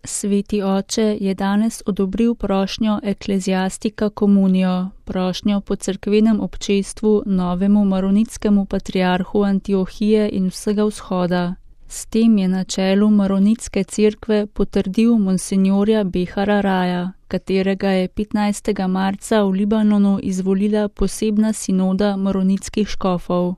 Sveti oče je danes odobril prošnjo Ecclesiastica Communio, prošnjo po cerkvenem občestvu novemu maronitskemu patriarhu Antiohije in vsega vzhoda. S tem je na čelu maronitske cerkve potrdil monsinjorja Behara Raja, katerega je 15. marca v Libanonu izvolila posebna sinoda maronitskih škofov.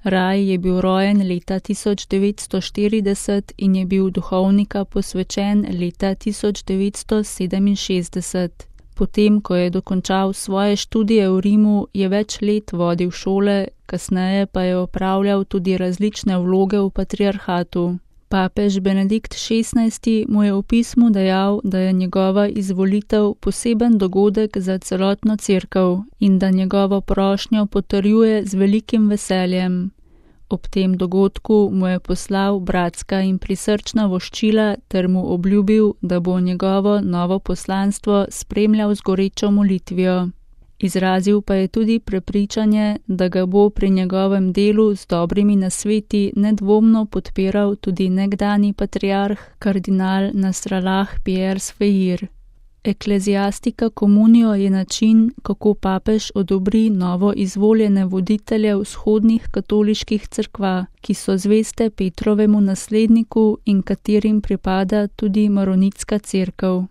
Raj je bil rojen leta 1940 in je bil duhovnika posvečen leta 1967. Potem, ko je dokončal svoje študije v Rimu, je več let vodil šole, kasneje pa je opravljal tudi različne vloge v patriarhatu. Papež Benedikt XVI mu je v pismu dejal, da je njegova izvolitev poseben dogodek za celotno cerkev in da njegovo prošnjo potrjuje z velikim veseljem. Ob tem dogodku mu je poslal bratska in prisrčna voščila ter mu obljubil, da bo njegovo novo poslanstvo spremljal z gorečo molitvijo. Izrazil pa je tudi prepričanje, da ga bo pri njegovem delu z dobrimi nasveti nedvomno podpiral tudi nekdani patriarh kardinal Nasrallah Pierre Sfeir. Ecclesiastica Communio je način, kako papež odobri novo izvoljene voditelje vzhodnih katoliških cerkva, ki so zveste Petrovemu nasledniku in katerim pripada tudi maronitska cerkev.